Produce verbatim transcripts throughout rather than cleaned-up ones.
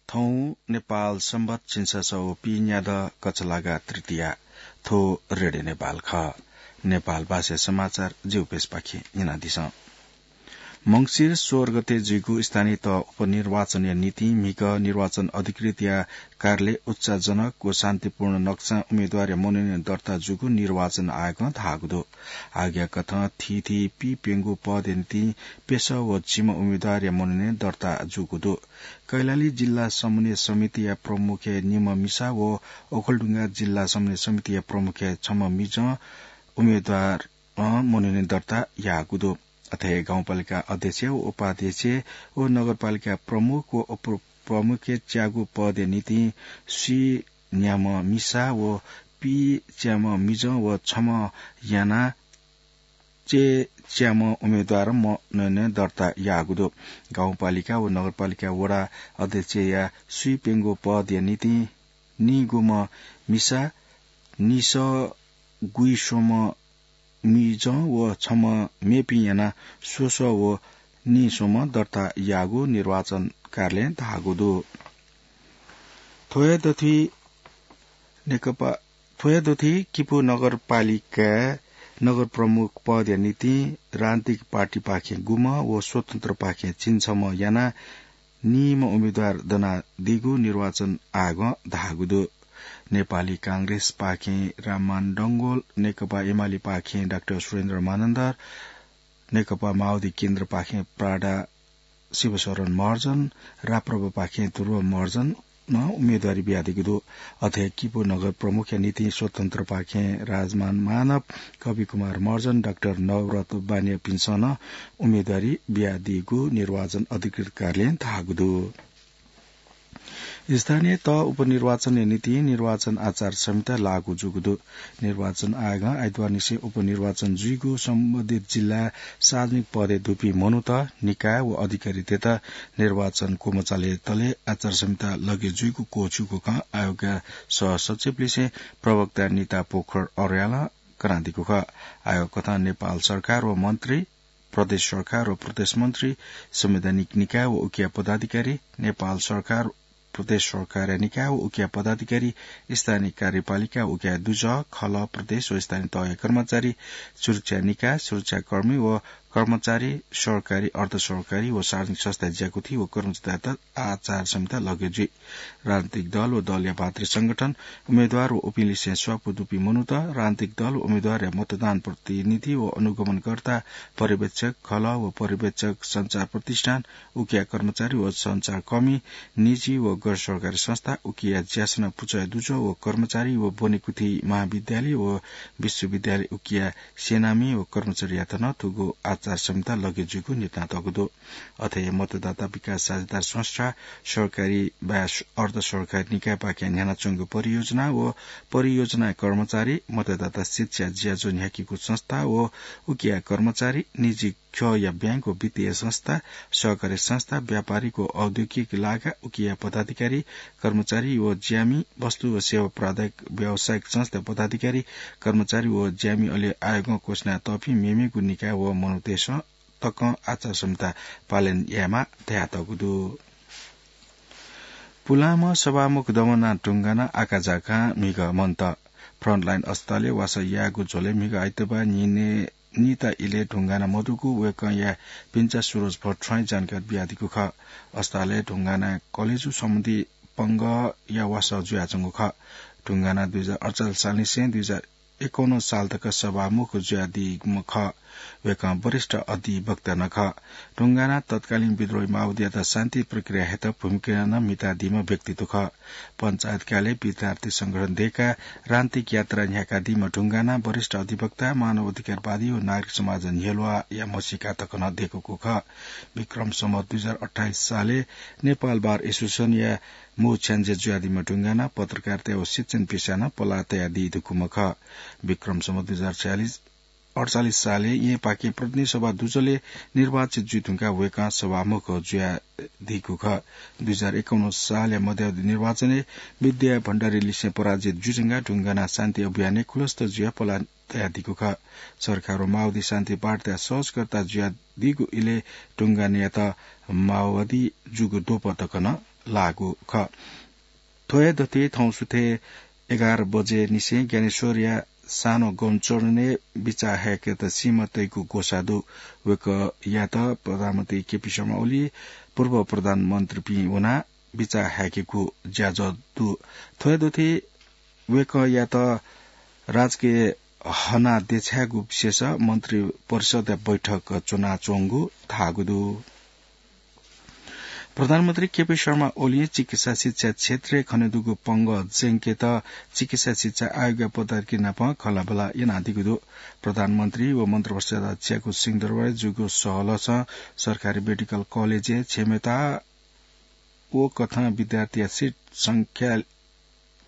थौं नेपाल संवत् झिंछसः व पीन्यादँ कछलागा तृतीया। थ्व रेडियो नेपाल खः। नेपाल भाषाया समाचार जिगु पेजपाखें न्यनादिसँ। मंसिर सोह्र गते जुइगु स्थानीय तह उपनिर्वाचनया निंतिं म्हिगः निर्वाचन अधिकृतया कार्यालय उत्साहजनक व शान्तिपूर्ण नक्सां उम्मेदवारया मनोनयन दर्ता जूगु निर्वाचन आयोगं धाःगु दु। आयोगया कथं थीथी पीप्यंगू पदया निंतिं प्यसः व झिम्ह उम्मेदवारया मनोनयन दर्ता जूगु दु। कैलाली जिल्ला समन्वय समितिया प्रमुखया निम्ह मिसा व ओखलढुङ्गा जिल्ला समन्वय समितिया प्रमुखया छम्ह मिजं उम्मेदवारं मनोनयन दर्ता याःगु दु। अथे गाउँपालिका अध्यक्ष व उपाध्यक्ष व नगरपालिका प्रमुख व उपप्रमुखया च्यागू पदया निंतिं स्वीन्याम्ह मिसा व पीच्याम्ह मिजं व छम्ह यानाः चय्च्याम्ह उम्मेदवारं मनोनयन दर्ता याःगु दु। गाउँपालिका व नगरपालिका वडा अध्यक्षया स्वीप्यंगू पदया निंतिं निगूम्ह मिसा, निसः गुइस्वम्ह मिजं व छम्ह मेपिं यानाः स्वस्वः व नीस्वम्ह दर्ता याःगु निर्वाचन कार्यालयं धाःगु दु। थ्व हे दथुइ नेकपा, थ्व हे दथुइ किपू नगरपालिकाय् नगर प्रमुख पदया निंतिं राजनीतिक पार्टीपाखें गुम्ह व स्वतन्त्रपाखें झिंछम्ह यानाः नीम्ह उम्मेदवार दनादीगु निर्वाचन आयोगं धाःगु दु। नेपाली कांग्रेसपाखें राममान डंगोल, नेकपा एमालेपाखें डाक्टर सुरेन्द्र मानन्धर, नेकपा माओवादी केन्द्रपाखें प्राडा शिवशरण महर्जन, राप्रपापाखें ध्रुव महर्जनं उम्मेदवारी बियादीगु दु। अथे किपू नगर प्रमुखया निंतिं स्वतन्त्रपाखें राजमान मानव, कविकुमार महर्जन, डाक्टर नवरत्न बानियापिन्सं नं उम्मेदवारी बियादीगु निर्वाचन अधिकृत कार्यालयं धाःगु दु। स्थानीय तह उपनिर्वाचनया निंतिं निर्वाचन आचार संहिता लागू जूगु दु। निर्वाचन आयोगं आइतबारनिसें उपनिर्वाचन जुइगु सम्बन्धित जिल्लाय् सार्वजनिक पदय् दुपिं मनूत, निकाय व अधिकारीतय्त निर्वाचन क्वमचालय् तले आचार संहिता लगे जुइगु क्वःछिउगु खँ आयोगया सहसचिवलिसें प्रवक्ता निता पोखर अर्यालं कनादीगु खः। आयोगकथं नेपाल सरकार व मन्त्री, प्रदेश सरकार व प्रदेश मन्त्री, संवैधानिक निकाय व उकिया पदाधिकारी, नेपाल सरकार, प्रदेश सरकारया निकाय व उकिया पदाधिकारी, स्थानीय कार्यपालिका व उकिया दुजः, खलः, प्रदेश व स्थानीय तहया कर्मचारी, सुरक्षा निकाय, सुरक्षाकर्मी व कर्मचारी, सरकारी, अर्धसरकारी व सार्वजनिक संस्थाय् ज्याकुथी व कर्मचारीतय्त आचार संहिता लगे जुइ। राजनीतिक दल व दलया भातृ संगठन, उम्मेदवार व उपिंलिसें स्वापू दुपिं मनूत, राजनीतिक दल व उम्मेदवारया मतदान प्रतिनिधि व अनुगमनकर्ता, पर्यवेक्षक, खलः व पर्यवेक्षक, सञ्चार प्रतिष्ठान, उकिया कर्मचारी व सञ्चारकर्मी, निजी व गैर सरकारी संस्था, उकिया ज्यासना पुचःया दुजः व कर्मचारी व ब्वनेकुथि महाविद्यालय व विश्वविद्यालय उकिया सेनामि व कर्मचारीयात नं थुगु आचार संहिता लगे जुइगु न्ह्यथनातःगु दु। अथे हे मतदाता विकास साझेदार संस्था, सरकारी वा अर्धसरकारी निकायपाखें न्ह्यानाच्वंगु परियोजना व परियोजना कर्मचारी, मतदाता शिक्षा ज्याझ्वः न्ह्याकीगु संस्था व उकिया कर्मचारी, निजी ख्यःया ब्यांक व वित्तीय संस्था, सहकारी संस्था, व्यापारिक व औद्योगिक लागा उकिया पदाधिकारी, कर्मचारी व ज्यामि, वस्तु व सेवा प्रदायक व्यावसायिक संस्था पदाधिकारी, कर्मचारी व ज्यामि, अले आयोगं घोषणा याःपिं मेमेगु निकाय व मनूतय्सं तकं आचार संहिता पालन यायेमाः धयातःगु दु। पुलांम्ह सभामुख दमनाः ढुंगानाः आकाझाकां म्हिगः मन्त। फ्रन्टलाइन अस्पतालय् वासः यायेगु झ्वलय् म्हिगः आइतबाः न्हिनय् निता इलय् ढुंगाना मदुगु वय्कःया भिंचा सुरज भट्टराईं जानकारी बियादीगु खः। अस्पतालय् ढुंगाना कलेजु सम्बन्धी पंगःया वासः जुयाच्वंगु खः। ढुंगाना दुई हजार अडचालिस सालनिसें दुई हजार एकाउन्न साल तक सभामुख जुयादीम्ह खः। वय्कः वरिष्ठ अधिवक्ता नं खः। ढुंगाना तत्कालीन विद्रोही माओवादीयात शान्ति प्रक्रिया हयेत भूमिका नं म्हितादीम्ह व्यक्तित्व खः। पञ्चायतकालय् विद्यार्थी संगठन दय्काः राजनीतिक यात्रा न्ह्याकादीम्ह ढुंगाना वरिष्ठ अधिवक्ता, मानव अधिकारवादी व नागरिक समाज न्ह्यलुवाया म्हसीका तक नं दय्कूगु खः। विक्रम सम्वत दुई हजार अट्ठाइस सालय् नेपाल बार एसोसिएसनया मू छ्याञ्जे जुयादीम्ह ढुंगाना पत्रकारिता व शिक्षण पेसाय् नं पलाः तयादी धुंकूम्ह खः। विक्रम सम्वत दुई हजार छयालिस, अडचालिस सालय् येँपाखें प्रतिनिधि सभा दुजलय् निर्वाचित जुइ धुंकाः वय्कः सभामुख जुयादीगु खः। दुई हजार एकाउन्न सालया मध्यावधि निर्वाचनय् विद्या भण्डारीलिसें पराजित जुइ धुंकाः ढुंगाना शान्ति अभियानय् खुलस्त जुयाः पलाः तयादीगु खः। सरकार व माओवादी शान्ति पार्टीया सहजकर्ता जुयादीगु इलय् ढुंगानायात माओवादी जूगु द्वपं तक नं लाःगु खः। थ्व हे दथुइ थौं सुथय् एघार बजे निसें ज्ञानेश्वरया सानो गौनचरणय् बिचाः हाय्केत सीमा तइगु ग्वसाः दु। वय्कःयात प्रधानमन्त्री केपी शर्मा ओली, पूर्व प्रधानमन्त्रीपिं वनाः बिचाः हाय्केगु ज्याझ्वः दु। थ्व हे दथुइ वय्कःयात राजकीय हना देछायेगु विषयस मन्त्री परिषदया बैठक च्वनाच्वंगु धाःगु दु। प्रधानमन्त्री केपी शर्मा ओलीं चिकित्सा शिक्षा क्षेत्रय् खनेदुगु पंगः ज्यंकेत चिकित्सा शिक्षा आयोगया पदाधिकारी नाप खँल्हाबल्हा यानादीगु दु। प्रधानमन्त्री व मन्त्रिपरिषदया ज्याकू सिंहदरबारय् जूगु सहलहसं सरकारी मेडिकल कलेजय् क्षमता व कथं विद्यार्थीया सिट संख्या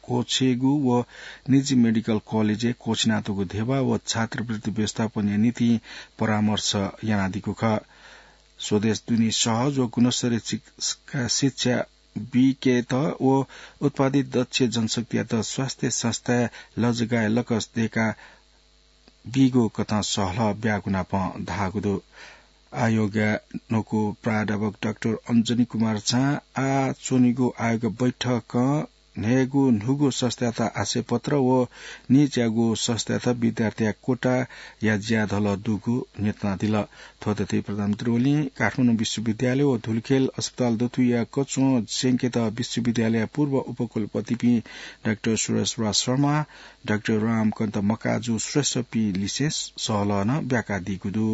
क्वःछेगु व निजी मेडिकल कलेजय् क्वःछिनातःगु धेबा व छात्रवृत्ति व्यवस्थापनया निंतिं परामर्श यानादीगु खः। स्वदेश दुने सहज व गुणस्तरीय चिक-, शिक्षा बीकेत व उत्पादित दक्ष जनशक्तियात स्वास्थ्य संस्थाय् लजगाय् लकस दय्का बीगु कथं सहलह ब्यागु नाप धाःगु दु। आयोगया न्वकू प्राध्यापक डाक्टर अञ्जनी कुमार झां आः च्वनीगु आयोग बैठकं न्हय्गू न्हूगु संस्थायात आशयपत्र व निज्याःगु संस्थायात विद्यार्थीया कोटाया ज्याझ्वलय् दुगु न्ह्यथनादिल। थ्व दथुइ प्रधानमन्त्री ओलीं काठमाडौं विश्वविद्यालय व धुलिखेल अस्पताल दथुइया कच्वं ज्यंकेत विश्वविद्यालयया पूर्व उपकुलपतिपिं डाक्टर सुरेश राज शर्मा, डाक्टर रामकान्त मकाजु श्रेष्ठपिं लिसें सहलह नं ब्याकादीगु दु।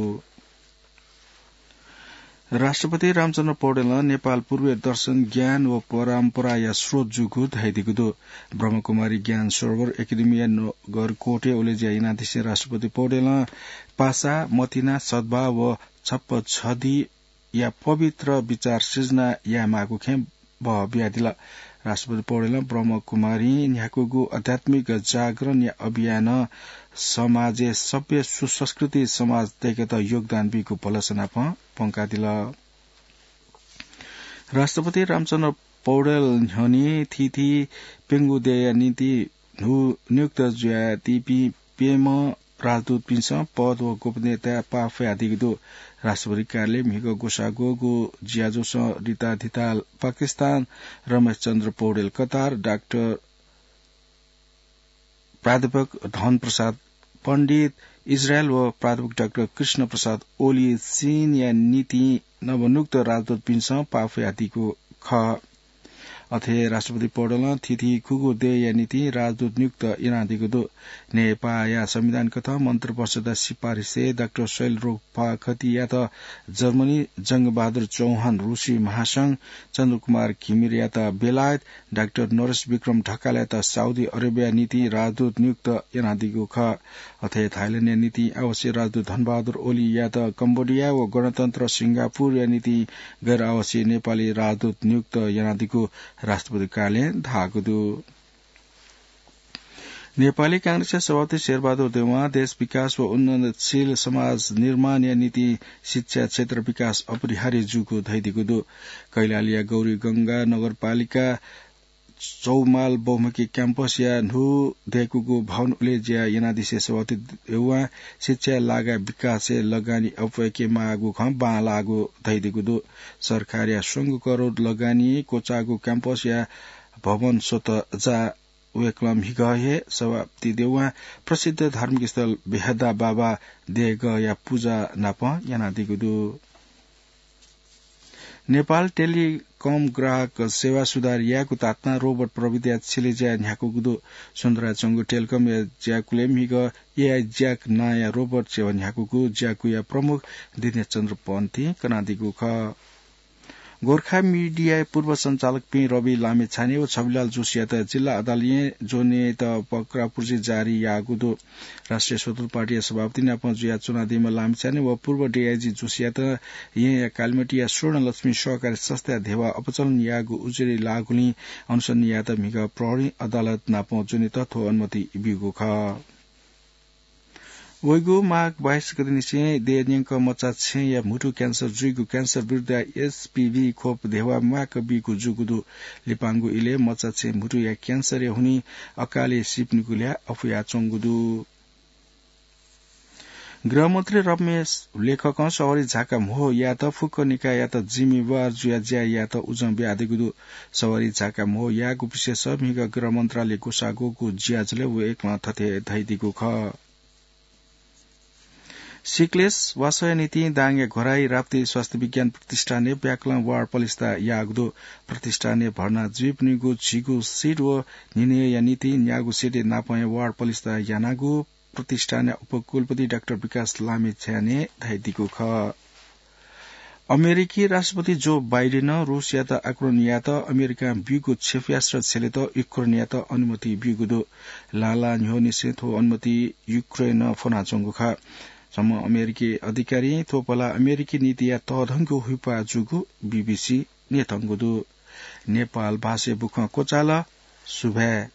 राष्ट्रपति रामचन्द्र पौडेलं नेपाल पूर्वीय दर्शन, ज्ञान व परम्पराया स्रोत जूगु धयादीगु दु। ब्रह्मकुमारी ज्ञान सरोवर एकेडेमीया नगरकोटय् उलेज्या यानादिसें राष्ट्रपति पौडेलं पासा, मतिना, सद्भाव व छप्पछदिया पवित्र विचार सिर्जना यायेमाःगु खँय् बह बियादिल। राष्ट्रपति पौडेलं ब्रह्मकुमारीं न्ह्याकूगु आध्यात्मिक जागरणया अभियानं समाजय् सभ्य सुसंस्कृति समाज दय्केत योगदान बीगु भलसा नाप प्वंकादिल। राष्ट्रपति रामचन्द्र पौडेल न्ह्यःने थीथी प्यंगू देय्या निंतिं न्हू नियुक्त जुयादीपिं प्यम्ह राजदूतपिन्सं पद व गोपनीयताय् पाफयादीगु दु। राष्ट्रपति कार्यालयं म्हिगः ग्वसाः ग्वःगु ज्याझ्वलय् रिताधिताल पाकिस्तान, रमेश चन्द्र पौडेल कतार, डाक्टर प्राध्यापक धन प्रसाद पण्डित इजरायल व प्राध्यापक डाक्टर कृष्ण प्रसाद ओली चीनया निंतिं नवनियुक्त राजदूतपिन्सं पाफयादीगु खः। अथे राष्ट्रपति पौडेलं थीथी खुगू देय्या निंतिं राजदूत नियुक्त यानादीगु दु। नेपाःया संविधान कथं मन्त्रिपरिषदया सिफारिसय् डाक्टर शैल रोपा खतियात जर्मनी, जंगबहादुर चौहान रुसी महासंघ, चन्द्रकुमार घिमिरेयात बेलायत, डाक्टर नरेश विक्रम ढकालयात साउदी अरेबियाया निंतिं राजदूत नियुक्त यानादीगु खः। अथे थाइल्याण्डया निंतिं आवासीय राजदूत धनबहादुर ओलीयात कम्बोडिया व गणतन्त्र सिंगापुरया निंतिं गैर आवासीय नेपाली राजदूत नियुक्त यानादीगु राष्ट्रपति कार्यालयं धाःगु दु। नेपाली कांग्रेसया सभापति शेरबहादुर देउवां देश विकास व उन्नतशील समाज निर्माणया निंतिं शिक्षा क्षेत्र विकास अपरिहार्य जूगु धयादीगु दु। कैलालीया गौरीगंगा नगरपालिका चौमाल बहुमुखी क्याम्पसया न्हू दय्कूगु भवन उलेज्या यानादिसें सभापति देउवां शिक्षाया लागाय् विकासय् लगानी अप्वय्केमाःगु खँ बांलाःगु धयादीगु दु। सरकारया स्वंगू करोड लगानी क्वचाःगु क्याम्पसया भवन स्वतः जा। वय्कलं म्हिगः हे सभापति देउवां प्रसिद्ध धार्मिक स्थल बेहदा बाबा देगःया पुजा नाप यानादीगु दु। नेपाल टेलिकम ग्राहक सेवा सुधार यायेगु तातुनाः रोबोट प्रविधिया छेँय् ज्या न्ह्याकूगु दु। स्वन्द्राय् च्वंगु टेलिकमया ज्याकुलय् म्हिगः एआई ज्याक नांया रोबोट सेवा न्ह्याकूगु ज्याकुया प्रमुख दिनेश चन्द्र पन्थीं कनादीगु खः। गोर्खा मिडियाया पूर्व सञ्चालकपिं रवि लामिछाने व छविलाल जोशीयात जिल्ला अदालतं ज्वनेत पक्रापुर्जी जारी याःगु दु। राष्ट्रिय स्वतन्त्र पार्टीया सभापति नाप जुयाच्वनादीम्ह लामिछाने व पूर्व डिआइजी जोशीयात येँया कालिमाटीया स्वर्णलक्ष्मी सहकारी संस्थाया धेबा अपचलन याःगु उजुरी लाःगुलिं अनुसन्धान यायेत म्हिगः प्रहरी अदालत नाप ज्वनेत थ्व अनुमति ब्यूगु खः। वइगु माघ बाइस गते निसें देय् न्यंक मचाछेँया म्हुतु क्यान्सर जुइगु क्यान्सर विरुद्धया एचपिभी खोप धेबा म्वाक बीगु जूगु दु। लिपांगु इलय् मचाछेँ म्हुतुया क्यान्सरया हुनिं अकालय् सीपिनिगु ल्याः अफुयाच्वंगु दु। गृहमन्त्री रमेश लेखकं सवारी झाका म्हो यायेत फुक्क निकाययात जिम्मेवार जुया ज्या यायेत उजं बियादीगु दु। सवारी झाका म्हो यायेगु विषयस म्हिगः गृह मन्त्रालय ग्वसाः ग्वःगु ज्याझ्वलय् वय्कलं थथे धयादीगु खः। सिकलेस वासःया निंतिं दाङया घोराही राप्ती स्वास्थ्य विज्ञान प्रतिष्ठानय् ब्याकलं वार्ड पलिस्था याःगु दु। प्रतिष्ठानय् भर्ना जुइपिनिगु झिगू सिट व न्हिनय्या निंतिं न्यागू सिट नापं हे वार्ड पलिस्था यानागु प्रतिष्ठानया उपकुलपति डाक्टर विकास लामिछानें धयादीगु खः। अमेरिकी राष्ट्रपति जो बाइडेनं रूसयात आक्रमण यायेत अमेरिकां ब्यूगु क्षेपयास्त्र झेलेत युक्रेनयात अनुमति ब्यूगु दु। लाला न्ह्यःनिसें थ्व अनुमति युक्रेनं फ्वनाच्वंगु खः। छम्ह अमेरिकी अधिकारीं थ्व पलाः अमेरिकी नीतिया तःधंगु हुइप्वाः जूगु बीबीसीं न्यंकूगु दु। नेपाल भाषाय् बुखँ क्वचाल। सुभाय्।